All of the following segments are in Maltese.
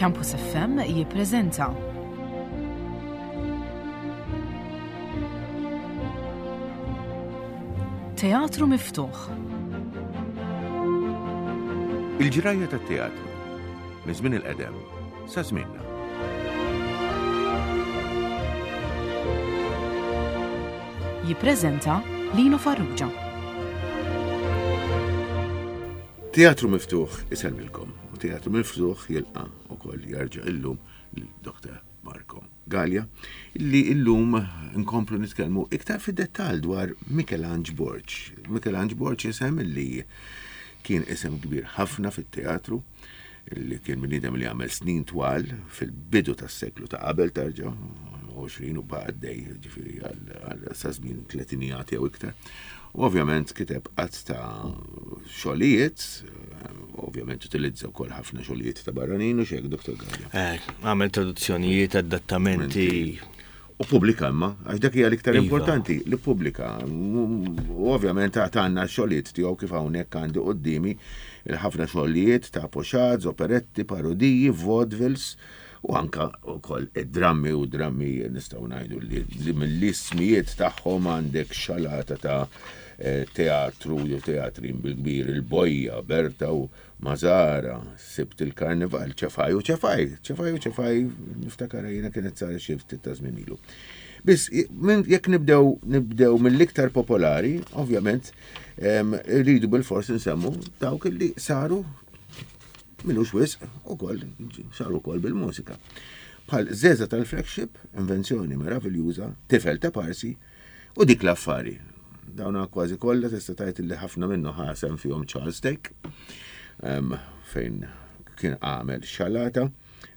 Campus FM jippreżenta Teatru Miftuħ. Il-ġrajja tat-teatru minn żmien il-qedem sa żmienna. Jippreżenta Lino Farrugia. Teatru Miftuħ isellmilkom u Teatru Miftuħ jilqa' ukoll jarġa' illum lil Dr. Marco Gallia li illum nkomplu nitkellmu iktar fid-dettall dwar Mikelanġ Borg. Mikelanġ Borg isem li kien isem kbir ħafna fit-teatru, li kien bniedem li għamel snin twal fil-bidu tas-seklu ta' qabel tarġa' 20 u baqa' għaddej, ġifieri għal sa żmien tletinijat jew iktar. U ovvjament kiteb qatt ta' xogħlijiet, ovvjament utilizza wkoll ħafna xogħlijiet ta' barranin u xejk, Dr. Gallia. Eh, għamel traduzzjonijiet, adattamenti. U pubblika imma, għax dak hija l-iktar iva. importanti, li pubblika. U ovvjament għandna xogħlijiet tiegħu kif hawnhekk għandi qudiemi il-ħafna xogħlijiet ta' poxaz, operetti, parodiji, vaudevilles u anka wkoll id-drammi u drammi nistgħu ngħidu li mill-ismijiet tagħhom għandek xalata ta' eh, teatru jew teatrin bil-kbir il-Bojja, Berta u Mazara, Sibt il-Karnival, ċefaj u ċefaj, ċefaj u ċefaj, niftakar jiena kienet sar xi ftit ta' żmien ilu. Biss, jekk nibdew nibdew mill-iktar popolari, ovvjament, rridu bil-fors nsemmu dawk li saru minux wisq ukoll saru wkoll bil-mużika. Bħal Zeza tal-Flagship, invenzjoni meraviljuża, Tifel ta' Parsi, U dik l-affari. Dawna kważi kollha tista' tgħid li ħafna minnu ħasem fihom Charles Take, fejn kien għamel xalata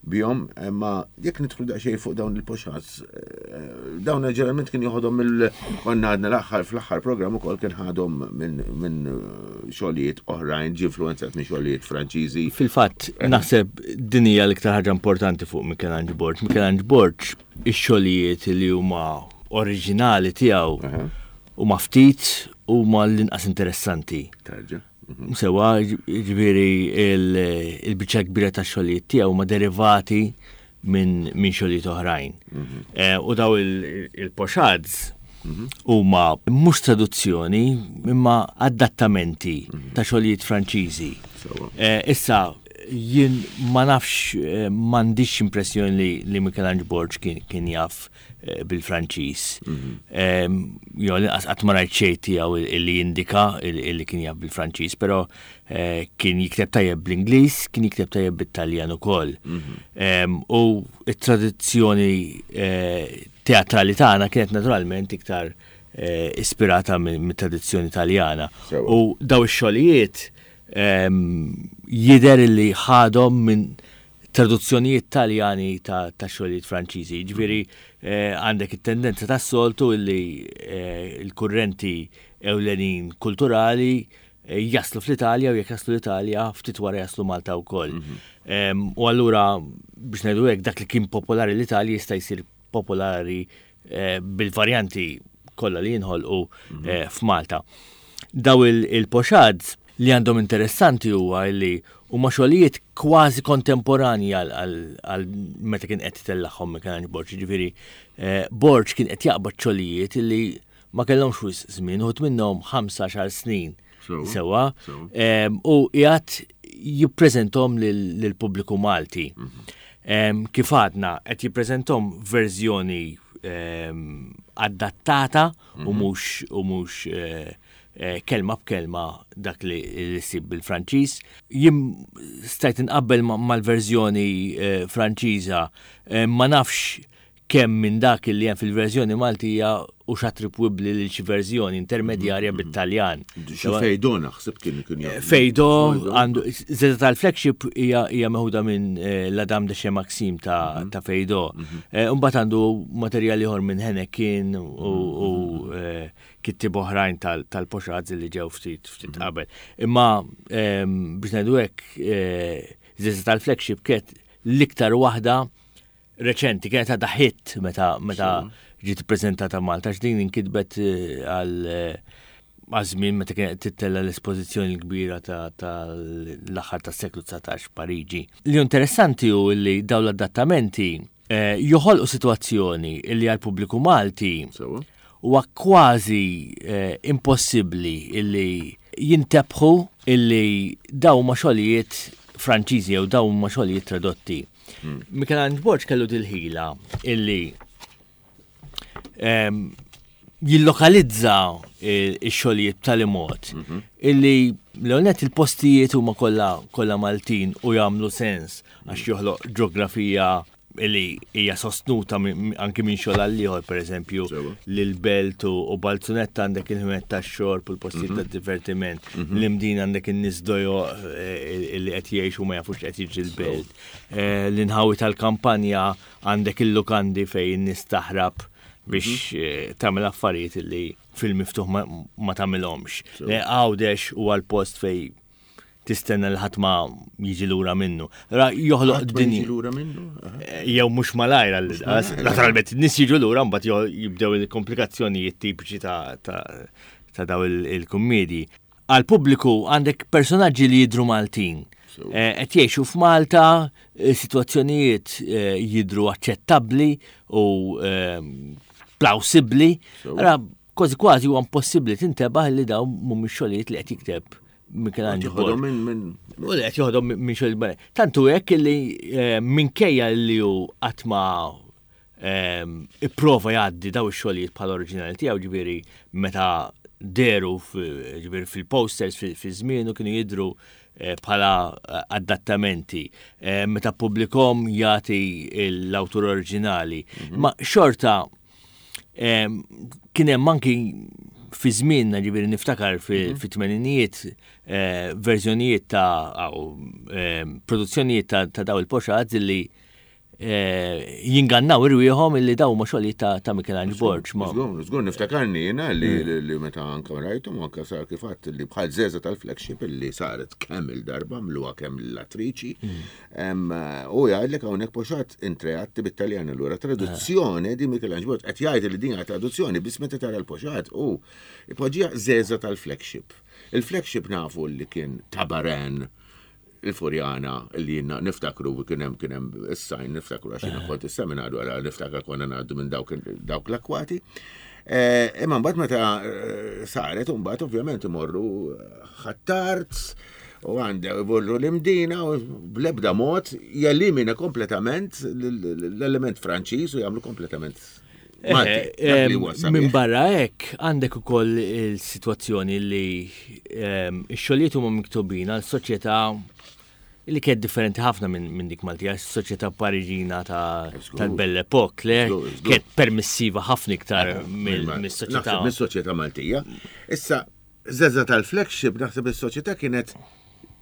bihom, imma jekk nidħlu daqsxejn fuq dawn il-poxats, eh, dawn ġeneralment kien joħodhom mill konna għadna l-aħħar fl-aħħar programm ukoll kien ħadhom minn xogħlijiet oħrajn, ġie influenzat minn xogħlijiet Franċiżi. Fil-fatt, naħseb din hija l-iktar ħaġa importanti fuq Michelangelo Borg. Michelangelo Borg ix-xogħlijiet li huma oriġinali tiegħu huma ftit huma l-inqas interessanti. Tarġa. Mhm. Sewa, ġifieri il-biċċa kbira ta' xogħlijiet tiegħu huma derivati minn xogħlijiet oħrajn. Mhm. Eh, u daw il-poxads mhm. huma mhux traduzzjoni imma adattamenti ta' xogħlijiet Franċiżi. Eh, issa jien ma nafx eh, m'għandix impressjoni li, li Michelangelo Borg kien, kien jaf eh, bil-Franċiż. Mm -hmm. Jo li qatt ma rajt xejn tiegħu li jindika li kien jaf bil-Franċiż, però eh, kien jikteb tajjeb bl-Ingliż, kien jikteb tajjeb bit-Taljan ukoll. Mm -hmm. U t-tradizzjoni teatrali tagħna kienet naturalment iktar ispirata mit-tradizzjoni Taljana. U daw ix-xogħlijiet Jidher li ħadhom minn traduzzjonijiet Taljani ta' xogħlijiet Franċiżi. Jiġifieri għandek it-tendenza tas-soltu li l-kurrenti ewlenin kulturali jaslu fl-Italja u jekk jaslu l-Italja ftit wara jaslu Malta wkoll. U allura biex ngħidu hekk dak li kien popolari l-Italja jista' jsir popolari eh, bil-varjanti kollha li jinħolqu mhm. eh, f'Malta. Daw il-poxads li għandhom interessanti huwa li huma xogħlijiet kważi kontemporanji għal meta kien qed tellagħhom Michelangelo Borg, ġifieri eh, Borg kien qed jaqbad xogħlijiet li ma kellhomx wisq żmien, uħud minnhom 15 snin. Sewa, u qiegħed jippreżentom lill-pubbliku Malti. Mhm. Kif għadna qed jippreżentom verżjoni adattata u mhm. mhux u mhux eh, eh, kelma b'kelma dak li ssib bil-Franċiż. Jien stajt inqabbel mal-verżjoni eh, Franċiża ma nafx kemm minn dak li hemm fil-verżjoni Maltija hux attribwibbli lil xi verżjoni intermedjarja mm-hmm. bit-Taljan. Xi Fejdo naħseb kien kien jagħmel. Fejdo għandu żeda tal-flagship hija hija meħuda minn eh, La Dame de Chez Maxime ta' mm-hmm. ta' Fejdo. Mm-hmm. Eh, imbagħad għandu materjal ieħor minn Henekin u eh, kittib oħrajn tal-poxazzi li ġew ftit ftit qabel. Imma ehm, biex ngħidu hekk żeda tal-flagship kienet l-iktar waħda reċenti, kienet għadha hit meta meta ġiet ippreżentata Malta, x'din inkitbet eh, għal eh, għaż-żmien meta kienet tittella l-espożizzjoni l-kbira tal-aħħar tas-seklu 19 Pariġi. Li interessanti hu li dawn l-adattamenti eh, joħolqu sitwazzjoni li għall-pubbliku Malti huwa kważi eh, impossibbli illi jintebħu illi daw ma xogħlijiet Franċiżi jew daw ma xogħlijiet tradotti. Hmm. Michelangelo Borg kellu dil-ħila illi ehm, jillokalizza x-xogħlijiet b'tali mod mhm. illi l-għonet il-postijiet huma kollha kollha Maltin u jagħmlu sens għax joħloq ġeografija illi hija sostnuta anki minn xogħol għal ieħor pereżempju lil belt u Balzunetta għandek il-ħmet tax-xorb u l-postijiet mhm. tad-divertiment, mhm. l-Imdina għandek in-nies dojo eh, li qed jgħixu ma jafux qed jiġri l-belt. Eh, l-inħawi tal-kampanja Għandek il-lukandi fejn in-nies taħrab biex mhm. eh, tagħmel affarijiet li fil-miftuħ ma tagħmilhomx. Għawdex huwa l-post fej tistenna li ħadd ma jiġi lura minnu. Ra joħloq dinja. Jiġi lura minnu? Eh, jew mhux malajr għall Naturalment nies jiġu lura mbagħad jibdew il-komplikazzjonijiet tipiċi ta' daw il-kummedji. Għall-pubbliku għandek personaġġi li jidhru Maltin. Eh, qed jgħixu f'Malta, eh, sitwazzjonijiet eh, jidhru aċċettabbli u plawsibbli. Ara kważi kważi huwa impossibbli tintebaħ li dawn mhumiex xogħlijiet li qed jikteb Michelangelo. Joħodhom minn minn. U li qed joħodhom minn xogħlijiet. Tantu hekk li minkejja li hu qatt ma Ehm, ipprova jgħaddi daw ix-xogħlijiet bħala oriġinali tiegħu ġifieri meta deru ġifieri fil-posters fi żmienu kienu jidhru eh, bħala eh, adattamenti. Eh, meta publikom jagħti l-awtur oriġinali. Mhm. Ma xorta ehm, kien hemm anki fi żmienna ġifieri niftakar mhm. fit-tmeninijiet verżjonijiet ta' produzzjonijiet ta' daw il-poxat li Eh, jingannaw irwieħhom illi daw ma xogħlijiet ta', ta Michelangelo Borg. Żgur, żgur niftakarni jiena li, mm. li meta anka rajthom anka sar kif għadt li bħal żeża tal-flagship li saret kemm il-darba mluha kemm l-attriċi. Mm. U jgħidlek hawnhekk poxat intreatti bit-Taljan allura traduzzjoni di Michelangelo Borg qed jgħid li din hija traduzzjoni biss meta tara l-poxat u ipoġġija żeża tal-flagship. Il-flagship nafu li kien tabaran il-Furjana li jiena niftakru kien hemm kien hemm is-sajn niftakru għax jiena eh. kont is-seminarju għala niftakar konna ngħaddu minn dawk l-akwati. Eh, imma mbagħad meta eh, saret mbagħad ovvjament imorru ħattart u għandha jmorru l-imdina u bl-ebda mod jelimina kompletament l-element Franċiż u jagħmlu kompletament Eh, minn barra hekk għandek ukoll il-sitwazzjoni li x-xogħlijiet huma miktubin għal soċjetà li kienet differenti ħafna minn dik Maltija, soċjetà Pariġina tal-Belle Epoque, le kienet permissiva ħafna iktar eh, mis-soċjetà. Mis-soċjetà Maltija. Issa, Zezza tal-flagship naħseb is-soċjetà kienet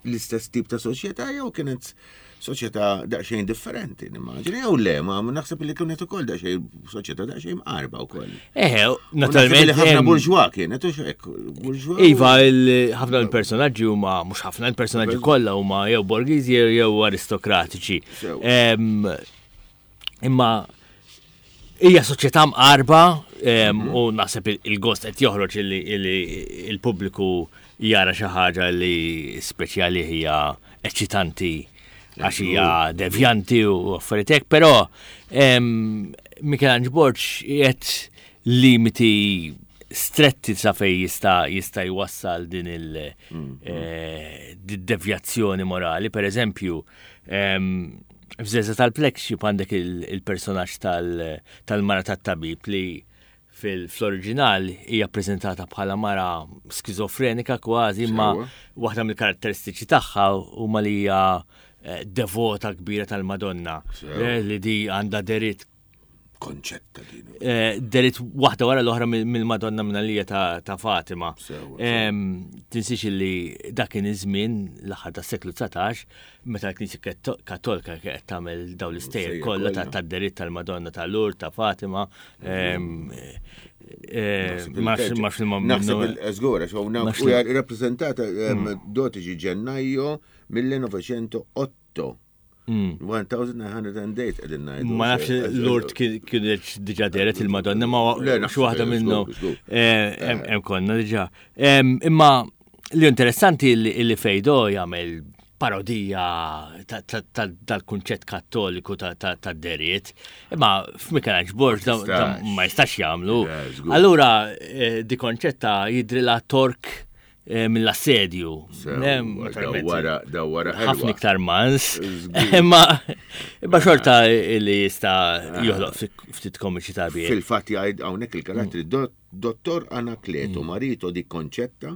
l-istess tip ta' soċjetà jew kienet soċjetà daqsxejn differenti, nimmaġini, jew le, ma naħseb li kienet ukoll daqsxejn soċjetà daqsxejn mqarba wkoll. Eħe, naturalment. Ħafna burġwa kienet, u hekk, burġwa. Iva, ħafna l-personaġġi huma mhux ħafna l-personaġġi kollha huma jew borgiżi jew aristokratiċi. Imma hija soċjetà mqarba mhm. u naħseb il-gost qed joħroġ li il-pubbliku jara xi ħaġa li speċjali hija eċitanti għax hija devjanti u affarijiet hekk, però Michelangelo Borg qed limiti stretti sa fej jista' jista' jwassal din il-devjazzjoni mhm. eh, morali. Per eżempju, F'Żeża tal-Flagship għandek il-personaġġ tal-mara tat-tabib li fl-oriġinal hija ppreżentata bħala mara skizofrenika kważi, imma waħda mill-karatteristiċi tagħha huma li hija eh, devota kbira tal-Madonna, eh, li di għandha deritt konċetta din. Eh, derit waħda wara l-oħra mill-Madonna Mnalija ta' Fatima. Tinsiex li dak kien iż-żmien l-aħħar tas-seklu 19 meta l-Knisja Kattolika qed tagħmel dawn l-istejjer kollha ta' deritt tal-Madonna ta' Lourdes ta' Fatima. Eh, Naħseb il-żgura, u rappreżentata 12 mm. ġennajo 1908. 1908 qegħdin ngħidu. Ma nafx Lourdes kienet diġà dehret il-Madonna, ma xi waħda minnhom. Eh, hemm konna diġà. Imma li interessanti li Fejdo jagħmel parodija tal-kunċett kattoliku tad-deriet, imma f'Michelangelo Borg ma jistax jagħmlu. Allura eh, di konċetta jidrilha tork eh, mill-assedju. Dawwara ħafna iktar mans. Imma imma xorta li jista' ah. joħloq ftit komiċi ta' bih. Fil-fatt jgħid hawnhekk il-karattri mm. Dottor Anacleto mm. Marito di Concetta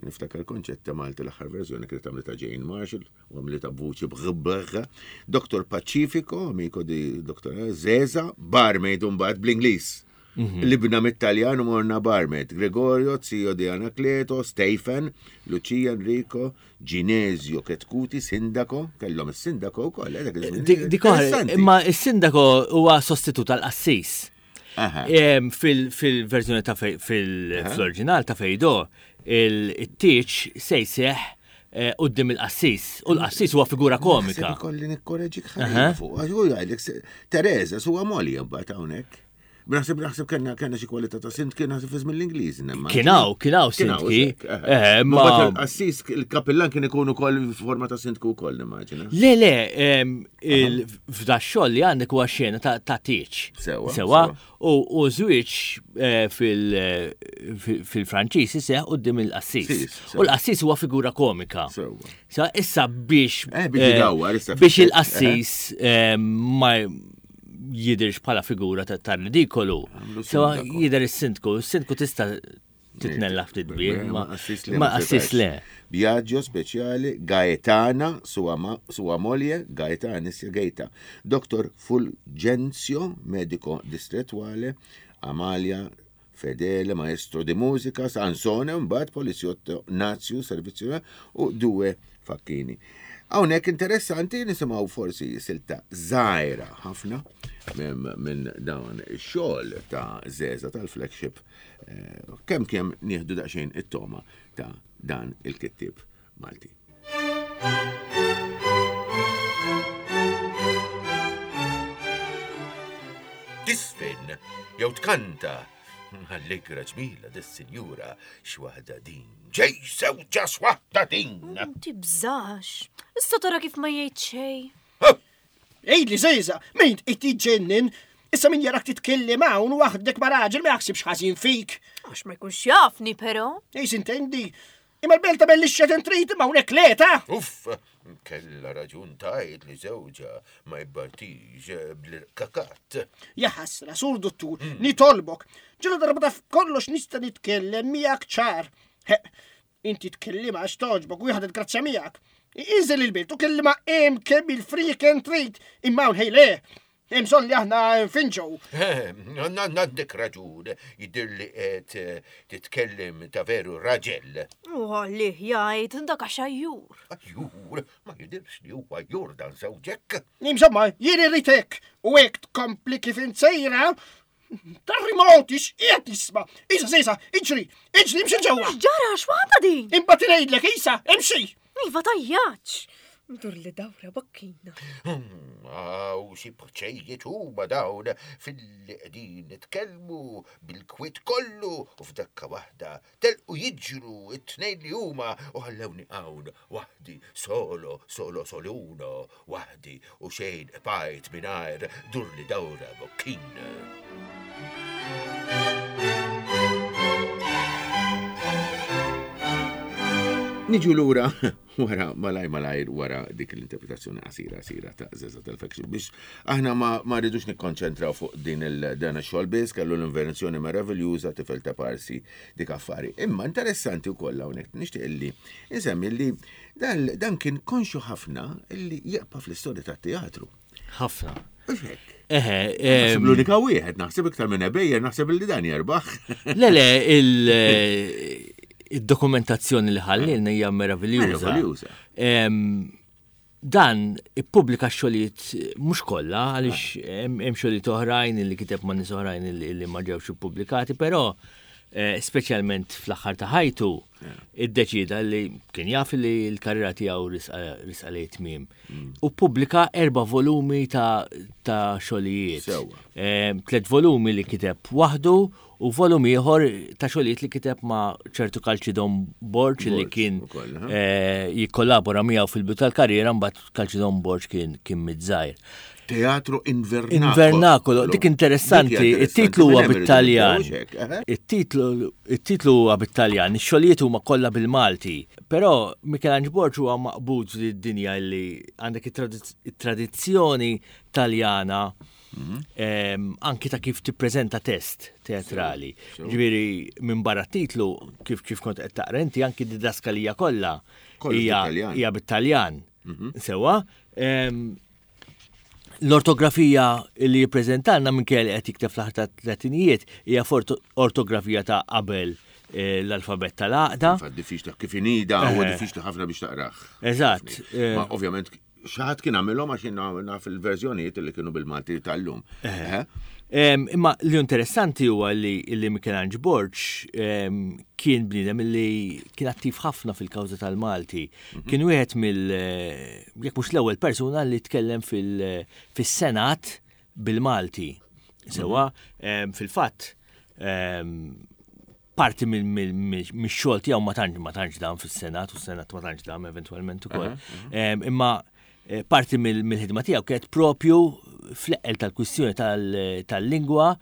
niftakar Concetta Malti l-aħħar verżjoni kienet għamlita Jane Marshall u għamlita b'vuċi b'għbr. Dottor Pacifico, amico di Dottor Zeza, barmaid mbagħad bl-Ingliż. Mhm. Libna mit-Taljan u morna barmet. Gregorio, zio di Anacleto, Stephen, Lucia Enrico, Ginesio Ketkuti, sindaco, kellhom is-sindaco wkoll. Eh, dik imma is-sindaco huwa sostitut tal-qassis. Fil-verżjoni ta' fil-oriġinal ta' Fejdo, il-tieċ se jseħ eh, qudiem il-qassis. U l-qassis huwa figura komika. Kolli nikkoreġik ħafna fuq. Teresa huwa molja mbagħad hawnhekk. Naħseb naħseb kellna kellna xi kwalità ta' sint kien naħseb fi żmien l-Ingliż. Kien hawn, kien hawn sintki. Eh, ma assis il-kapillan kien ikun ukoll forma ta' sintku wkoll nimmaġina. Le, le, f'da xogħol li għandek huwa xena ta' tieġ. Sewa. Sewa. U żwieġ eh, fil-Franċiż iseħ quddiem il-qassis. U l-qassis huwa figura komika. Sewa. Sa issa biex eh, biex il-qassis ma jidirx bħala figura ta' ridikolu. Sewa jider is-sindku, is-sindku tista' titnella ftit bih, ma qassis le. Biagio speċjali Gaetana sua moglie Gaetana Gaeta. Dr. Fulgenzio, medico distrettuale, Amalia Fedele, maestro di musica, Sansone, mbagħad poliziotto Nazio, servizio u due facchini. Hawnhekk interessanti nisimgħu forsi silta żgħira ħafna minn dawn ix-xogħol ta' Zeza tal-flagship eh, kemm kemm nieħdu daqsxejn it-toma ta' dan il-kittieb Malti. Tisfin jew tkanta Allegra ġmila dis-sinjura x'waħda din. Ġej sewġa x'waħda din. Tibżax. Issa tara kif ma jgħid xejn. Għidli Żejża, min qed tiġġennen? Issa min jarak titkellem hawn waħdek ma' raġel ma jaħsibx ħażin fik. Għax ma jkunx jafni però. Ejs intendi, imma l-belt tagħmel li xed trid imma hawnhekk le ta'. Uff, kella raġun tajt li żewġha ma jibbartix bl-irkakat. Ja ħasra, sur dottur, mm. nitolbok. Ġela darba taf kollox nista' nitkellem miegħek ċar. Inti tkellimha għax togħġbok u ħadet grazzja miegħek. Inżel il-belt u kellimha hemm kemm il-friken trid, imma hawn ħej le. Hemm bżonn li aħna nfinġu. Għandek raġun, jidher li qed eh, titkellem ta' veru raġel. U għalih jgħid dak għax ajjur. Ajjur, ma jidirx li huwa ajjur dan żewġek. Insomma, jien irrid hekk u hekk tkompli kif insejra, Tarrimoti, x'qiegħed nisma'? Isa, Isa, iġri, iġri, imxi ġewwa. X'ġara, x'waħda din? Imbagħad ngħidlek, Isa, imxi. Iva tajjaċ. Dur li dawra bakkina. Aw, xi bċejjiet huma dawn fil-li qegħdin nitkellmu bil-kwiet kollu u f'dakka waħda telqu jiġru it-tnejn li huma u ħallewni hawn waħdi solo, solo soluno, waħdi u xejn qbajt mingħajr durli dawra bokkin. Niġu lura wara malaj malajr wara dik l-interpretazzjoni qasira qasira ta' Zeza tal-Faction biex aħna ma, ma rridux nikkonċentraw fuq din il-dan ix-xogħol biss kellu l-invenzjoni meraviljuża tifel ta' parsi dik affari. Imma interessanti wkoll hawnhekk nixtieq li insemmi li Dan, dan kien konxju ħafna li jibqa' fl-istorja tat-teatru. Ħafna. Eħe. Naħseb l-unika wieħed, naħseb iktar minn ebejjer, naħseb li dan jerbaħ. Le, le, il-dokumentazzjoni li ħallilna hija meraviljuża. Meraviljuża. Dan ippubblika xogħlijiet mhux kollha għaliex hemm xogħlijiet oħrajn li kiteb ma' nies oħrajn li ma ġewx ippubblikati, però eh, speċjalment fl-aħħar ta' ħajtu. Iddeċieda li kien jaf li l-karriera tiegħu risqa lejn tmiem. U ppubblika erba' volumi ta' xogħlijiet. Tliet volumi li kiteb waħdu u volum ieħor ta' xogħlijiet li kiteb ma' ċertu Kalċidon Borg li kien jikkollabora miegħu fil-bidu tal-karriera mbagħad Kalċidon Borg kien miet żgħir. Teatro Invernacolo. Invernacolo, dik interessanti, it-titlu huwa bit-Taljan. It-titlu huwa bit-Taljan, ix-xogħlijiet huma kollha bil-Malti. Però Michelangelo Borg huwa maqbud lid-dinja li għandek it-tradizzjoni Taljana mhm. anki ta' kif tippreżenta test teatrali. Ġifieri minn barra titlu kif kif kont qed taqra inti anki didaskalija kollha hija bit-Taljan. Mhm. Sewa, L-ortografija li jippreżentalna minkejja li qed jikteb fl-aħħar tat-tletinijiet hija ortografija ta' qabel eh, l-alfabett tal-għaqda. Infatti diffiċli kif inida huwa eh. diffiċli ħafna biex taqrah. Eżatt. Eh. Ma ovvjament xaħat kien għamilhom għax naf il-verżjonijiet li kienu bil-Malti tal-lum. Imma li interessanti huwa li li Michelangelo Borg kien bniedem li kien attiv ħafna fil-kawża tal-Malti. Mhm. Kien wieħed mill jekk mhux l-ewwel persuna li tkellem fis-Senat bil-Malti. Sewa, mhm. fil-fatt parti mix-xogħol tiegħu ma tantx ma tantx dan fis-Senat u s-Senat ma tantx dam eventwalment ukoll. Imma eh, parti mill-ħidma tiegħu kienet propju fl-eqqel tal-kwistjoni tal-lingwa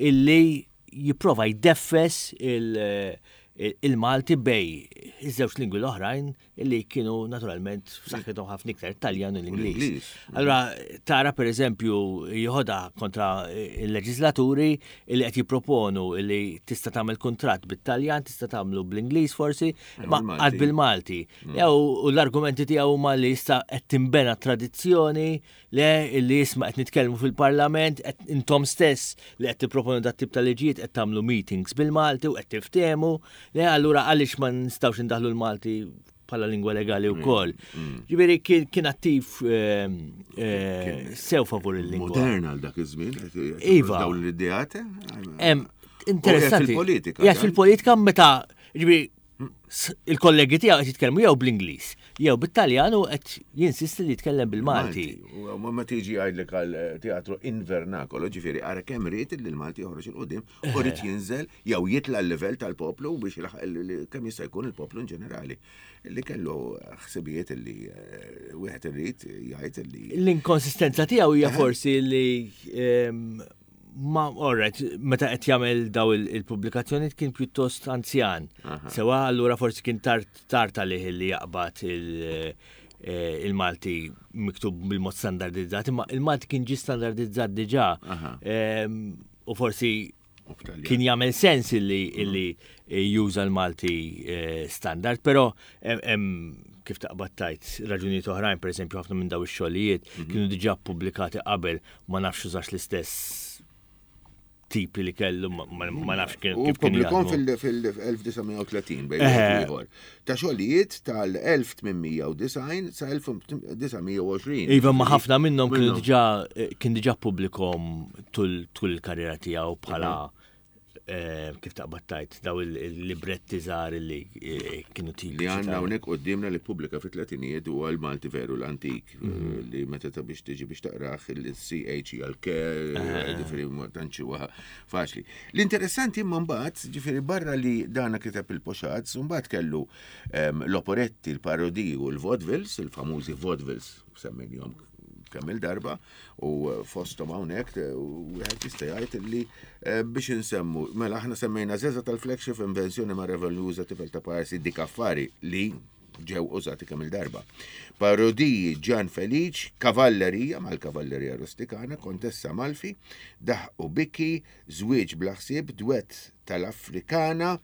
illi jipprova jdeffes il-Malti bej iż-żewġ lingwi l-oħrajn illi kienu naturalment f'saħħithom ħafna iktar Taljan u l-Ingliż. Allura tara pereżempju jieħodha kontra il-leġislaturi illi qed jipproponu illi tista' tagħmel kuntratt bit-Taljan, tista' tagħmlu bl-Ingliż forsi, ma qatt bil-Malti. Mm. U l-argumenti tiegħu huma li issa qed tinbena tradizzjoni Le, illi isma' qed nitkellmu fil-Parlament, qed intom stess li qed tipproponu dat tip ta' liġijiet qed tagħmlu meetings bil-Malti u qed tiftehmu, le allura għaliex ma nistgħux indaħlu l-Malti bħala lingwa legali mm, wkoll. Mm. Ġifieri kien attiv ehm, eh, sew favur il-lingwa. Modern għal dak iż-żmien, iva. Dawn l-ideat. Interessanti. Fil-politika. Fil-politika meta ġifieri il-kollegi tiegħu qed jitkellmu jew bl-Ingliż, jew bit-Taljan u qed jinsisti li jitkellem bil-Malti. U ma tiġi jgħidlek għal eh, teatru invernakolo, ġifieri ara kemm ried li l-Malti joħroġ il qudiem u rid jinżel jew jitla' l-livell tal-poplu biex kemm jista' jkun il-poplu in ġenerali li kellu ħsibijiet li eh, wieħed irid jgħid li. L-inkonsistenza tiegħu hija forsi li ehm, Ma, alright, meta qed jagħmel daw il-pubblikazzjoni kien pjuttost anzjan. Sewa allura forsi kien tard tard għalih li jaqbad eh, il-Malti miktub bil-mod standardizzat, imma il-Malti kien ġi standardizzat diġà. Ehm, u forsi kien jagħmel sens illi illi juża l-Malti eh, standard, però hemm kif taqbad tajt raġunijiet oħrajn, pereżempju ħafna minn daw ix-xogħlijiet mhm. kienu diġà ppubblikati qabel ma nafx użax l-istess tipi li kellu, ma nafx kien. U publikom fil-1930 bejn ieħor. Ta' xogħlijiet tal-1890 sa 1920. Iva, ma ħafna minnhom kienu diġà kien diġà publikom tul il-karriera tiegħu bħala Eh, kif taqbad tajt daw il-libretti żgħar li eh, kienu tipi. Li għandna hawnhekk qudiemna li pubblika fit-tletinijiet huwa l-Malti veru l-antik eh, mhm. li meta ta' biex tiġi biex taqrah il-CH hija l-K, ġifieri ma tantx huwa faċli. L-interessanti imma mbagħad, ġifieri barra li dana kiteb il-poxaz, mbagħad kellu ehm, l-operetti, l-parodiji u l-vaudevilles, il-famużi vaudevilles semmejnihom kemm il-darba u fosthom hawnhekk wieħed jista' jgħid li eh, biex insemmu mela aħna semmejna żeża tal-flagship invenzjoni ma' revoluza tifel ta' parsi dik affari li ġew użati kemm il-darba. Parodiji Ġan Feliċ, Kavallerija mal-Kavallerija Rustikana, Kontessa Malfi, Daħ u Biki, Żwieġ bla ħsieb, Dwett tal-Afrikana,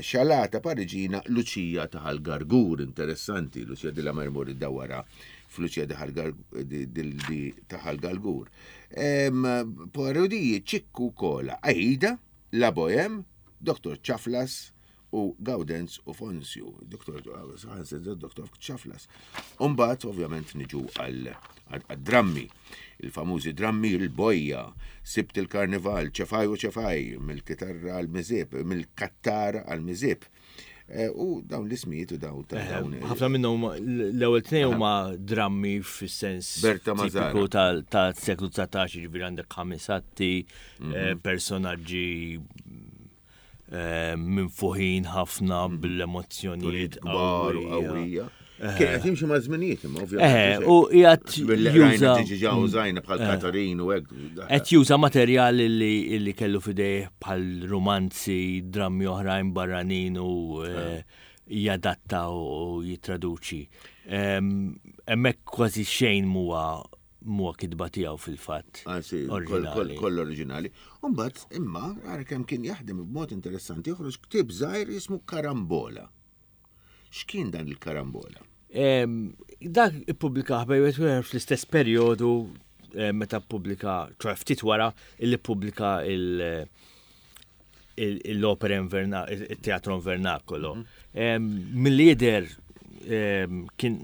Xalata Pariġina, Luċija ta' Gargur, interessanti, Luċija dilla Mermur id-dawara f'Luċija ta' Ħal-Gargur. Parodiji Ċikku Kola, Aida, La Bohem, Dr. Ċaflas, u Gawdenz u Fonsju, Dr. Dr. Ċaflas. Umbat, ovvjament, niġu għal-drammi, il-famużi drammi il-bojja, sibt il-karnival, ċefaj u ċefaj, mill-kitarra għal-mizib, mill-kattara għal-mizib. Eh, u dawn l-ismijiet u dawn ta' eh, dawn. Ħafna minnhom l-ewwel tnejn huma drammi fis-sens Berta tipiku tal-seklu 19, ġifieri għandek ħames atti, eh. personaġġi minfuħin ħafna bil-emozzjonijiet kbar u qawwija. Kien qed jimxi ma' żminijiet imma ovvjament. Eh, u qiegħed juża ġiġa użajna bħal eh. Katarin u hekk. Qed juża materjal li kellu fidejh bħal romanzi, drammi oħrajn barranin u eh, jadatta u jittraduċi. Hemmhekk kważi xejn muwa muwa kitba tiegħu fil-fatt. Ah, koll oriġinali. Umbagħad imma ara kemm kien jaħdem b'mod interessanti joħroġ ktieb żgħir jismu Karambola. X'kien dan il-karambola? Dak ippubblika bejwet fl-istess perjodu eh, meta ppubblika, ċoħ ftit wara illi ppubblika l-opera il-teatro invernacolo. Mill-lider kien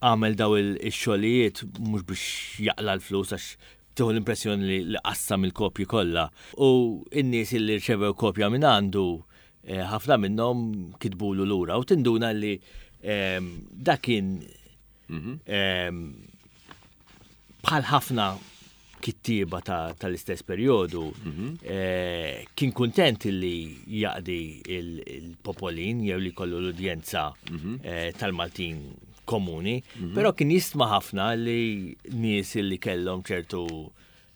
għamel daw il-xogħlijiet mhux biex jaqla l-flus għax tieħu l-impressjoni li qassam il-kopji kollha. U n-nies li rċevew kopja minn għandu eh, ħafna minnhom kitbulu lura u tinduna li ehm, dak kien mhm. ehm, bħal ħafna kittieba tal-istess perjodu mhm. eh, kien kuntent li jaqdi il-popolin jew li kollu l-udjenza mhm. eh, tal-Maltin komuni, però kien jistma ħafna li nies li kellhom ċertu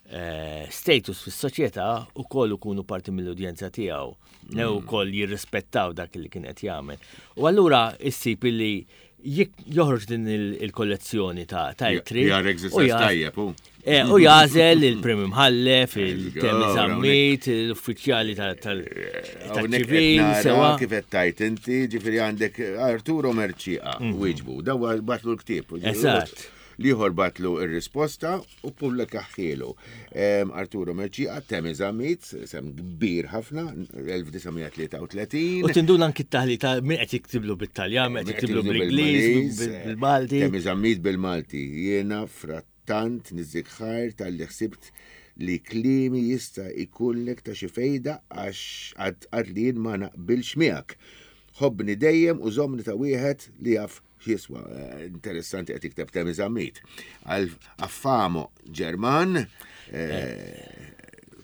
eh, status fis-soċjetà ukoll ikunu parti mill-udjenza tiegħu, jew mm. ukoll jirrispettaw dak li kien qed jagħmel. U allura issib li joħroġ din il-kollezzjoni ta' ittri. Eh, u jażel il-Prim Imħallef, il-Temi Zammit, l-uffiċjali tal-ċivil. Sewa kif qed tajt inti, ġifieri għandek Arturo Merċieqa, mhm. wieġbu, daw batlu l-ktieb. Eżatt. Liħor batlu ir-risposta u ppubblikahhielu. Arturo Mercieca, Temi Zammit, sem kbir ħafna, 1933. U tinduna anki t-taħlita min qed jiktiblu bit-Taljan, min qed jiktiblu bl-Ingliż, bil-Malti. Temi Zammit bil-Malti. Jiena frattant niżżik ħajr talli ħsibt li kliemi jista' jkunlek ta' xi fejda għax għad li jien ma naqbilx miegħek. Ħobbni dejjem u żommni ta' wieħed li jaf X'jiswa, eh, interessanti qed jikteb Temi Zammit. Għal Affamo Ġerman, eh,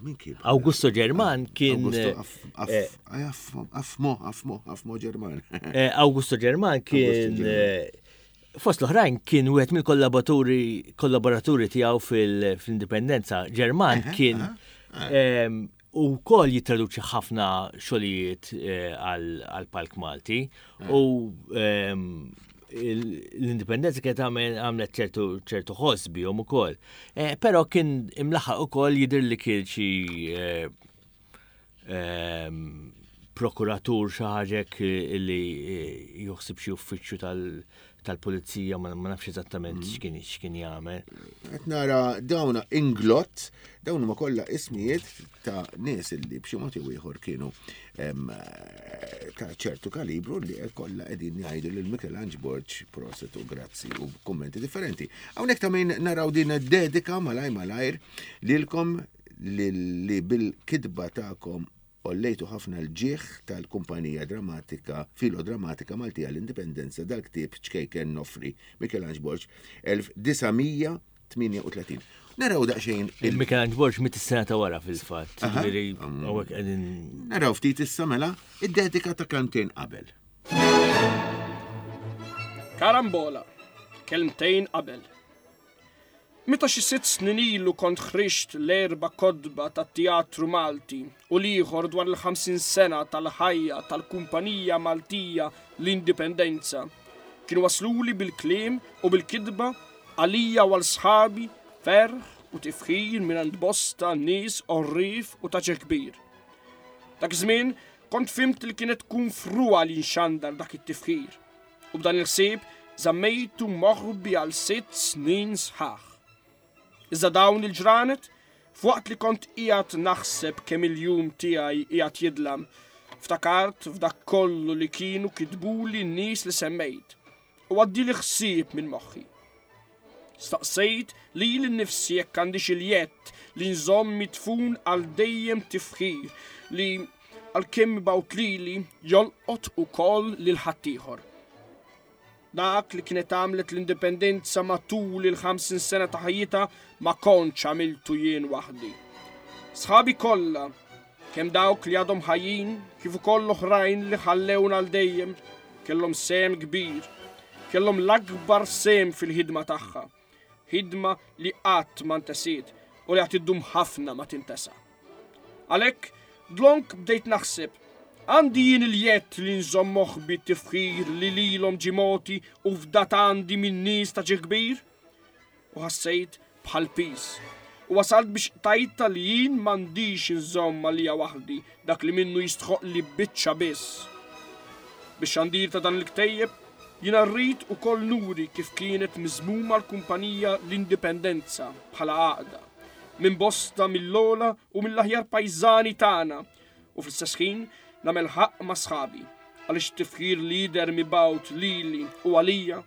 min kien? Augusto Ġerman kien. Augusto eh, Affmo, Affmo, Affmo Ġerman. Augusto Ġerman kien. Fost l-oħrajn kien wieħed mill-kollaboraturi kollaboraturi tiegħu fil-Indipendenza. Ġerman kien U wkoll jittraduċi ħafna xogħlijiet eh, għal palk Malti mm. u ehm, l-indipendenza kienet għamlet ċertu ċertu ħoss bihom ukoll. Eh, però kien imlaħaq ukoll jidher li kien xi eh, ehm, prokuratur xi ħaġa li joħsib xi uffiċċju tal- tal-pulizija ma nafx eżattament mm. x'kien x'kien jagħmel. Qed nara dawn inglott, dawn huma kollha ismijiet ta' nies li b'xi mod jew ieħor kienu ta' ċertu kalibru li kollha qegħdin jgħidu lil Michelangelo Borg proset u grazzi u kummenti differenti. Hawnhekk ta' min naraw din dedika malaj malajr lilkom li bil-kitba tagħkom Għollejtu ħafna l-ġieħ tal-kumpanija drammatika filodrammatika Maltija l-Indipendenza dal-ktieb ċkejken noffri Michelangelo Borg 1938. Naraw daqsxejn. Michelangelo Borg mit is-sena ta' wara fil-fatt. Ġifieri hawnhekk qegħdin. Naraw ftit issa mela id-dedika ta' kelmtejn qabel. Karambola, kelmtejn qabel. Meta xi sitt snin ilu kont ħriġt l-erba' kotba tat-teatru Malti u l-ieħor dwar il-50 sena tal-ħajja tal-kumpanija Maltija l-Indipendenza, kienu wasluli bil-kliem u bil-kitba għalija u għal sħabi ferħ u tifħir mingħand bosta nies għorrief u ta' ġieħ kbir. Dak iż-żmien kont fhimt li kienet tkun frugħa li nxandar dak it-tifħir. U b'dan il-ħsieb żammejtu moħbi għal sitt snin sħaħ. Iżda dawn il-ġranet, f'waqt li kont qiegħed naħseb kemm il-jum tiegħi qiegħed jidlam, ftakart f'dak kollu li kienu kitbuli n-nies li semmejt, u għaddieli ħsieb minn moħħi. Staqsejt lili nnifsi jekk għandix il-jedd li nżomm midfun għal dejjem tifħir li għalkemm mibgħut lili, jolqot ukoll lil ħaddieħor. Dak li kienet għamlet l-Indipendenza matul il-50 sena ta' ħajjitha ma kontx għamiltu jien waħdi. Sħabi kollha, kemm dawk li għadhom ħajjin kif ukoll l-oħrajn li ħallewna għal dejjem, kellhom sehem kbir, kellhom l-akbar sehem fil-ħidma tagħha. Ħidma li qatt ma ntesiet u li għad iddum ħafna ma tintesa. Għalhekk, dlonk bdejt naħseb, għandi jien il-jedd li nżomm moħbi t-tifħir li lilhom ġie mogħti u fdat għandi minn nies ta' ġieħ kbir? U ħassejt bħal piż. U wasalt biex qtajtha li jien m'għandix inżomm għalija waħdi dak li minnu jistħoqqli biċċa biss. Bix-xandir ta' dan il-ktejjeb, jiena rrid ukoll nuri kif kienet miżmuma l-kumpanija l-Indipendenza bħala għaqda, minn bosta mill-ogħla u mill-aħjar pajżani tagħna u fl-istess ħin nagħmel ħaqq ma' sħabi għaliex it-tifħir li jidher mibgħut lili u għalija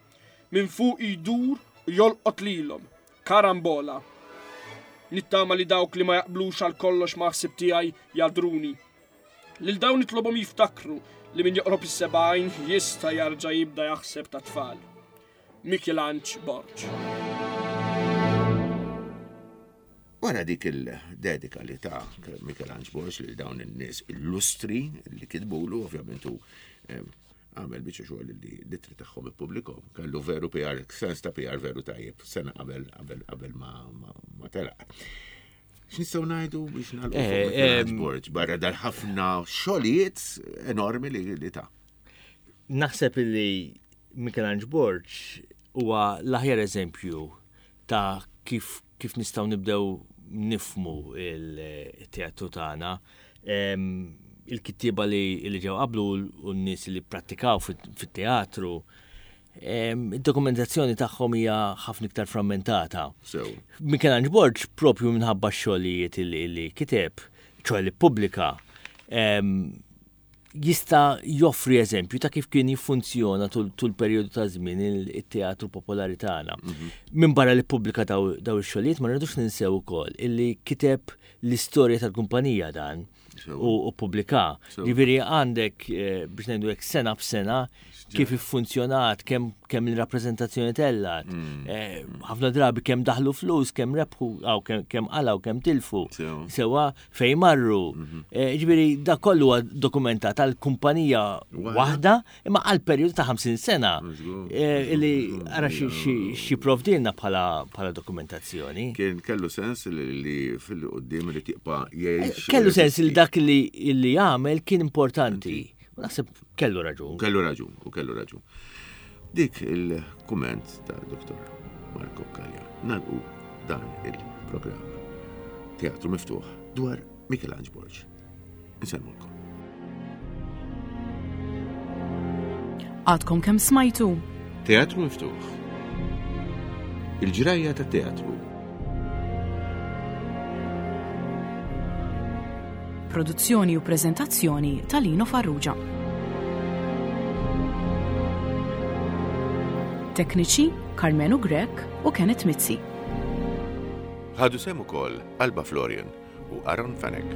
minn fuqi jdur u jolqot lilhom. Karambola. Nittama li dawk li ma jaqblux għal kollox mal-ħsieb tiegħi jagħdruni. Lil dawn nitlobhom jiftakru li min joqrob is-70 jista' jarġa' jibda jaħseb ta' tfal. Michelanġ Borg. Wara dik il-dedika li ta' Michelanġ Borg lil dawn in-nies illustri li kitbulu, ovvjament hu eh, għamel biċċa xogħol li l-ittri tagħhom ippubblikhom. Kellu veru PR, sens ta' PR veru tajjeb, sena qabel qabel qabel ma, ma, ma telaq. X'nistgħu ngħidu biex nagħlqu fuq eh, Michelangelo Borg barra dal-ħafna xogħlijiet enormi li, li ta'. Naħseb li Michelangelo Borg huwa l-aħjar eżempju ta' kif kif nistgħu nibdew nifmu il-teatru tagħna. Il-kittieba li ġew qablu u n-nies li pprattikaw fit-teatru, id-dokumentazzjoni tagħhom hija ħafna iktar frammentata. Michelangelo Borg propju minħabba x-xogħlijiet li kiteb, ċoħe li ppubblika, jista' joffri eżempju ta' kif kien jiffunzjona tul perjodu ta' żmien it-teatru popolari tagħna. Mhm. Minn barra li ppubblika daw ix-xogħlijiet ma rridux ninsew ukoll illi kiteb l-istorja tal-kumpanija dan u pubblika. Ġifieri għandek eh, biex ngħidu hekk sena b'sena kif iffunzjonat, kemm kemm il-rappreżentazzjoni tellat, mm. eh, ħafna drabi kemm daħlu flus, kemm rebħu, kemm qalaw, kemm tilfu. Sewa fejn marru. Mhm. Eh, ġifieri da kollu huwa dokumentat għal kumpanija waħda imma għal perjodu ta' 50 sena eh, li ara xi provdilna bħala dokumentazzjoni. Kien kellu sens li fil-qudiem li tibqa' jgħix. Eh, kellu sens li dak li jagħmel kien importanti. Naħseb kellu raġun. Kellu raġun, u kellu raġun. Dik il-kumment ta' Dr. Marco Kalja. Nalqu dan il-programm Teatru Miftuħ dwar Michelangelo Borg. Insellmulkom. Għadkom kemm smajtu? Teatru Miftuħ. Il-ġrajja tat-teatru. Produzzjoni u preżentazzjoni ta' Lino Farrugia. Tekniċi Karmenu Grech u Kenneth Mizzi. Ħadu sehem ukoll Alba Florian u Aaron Fenech.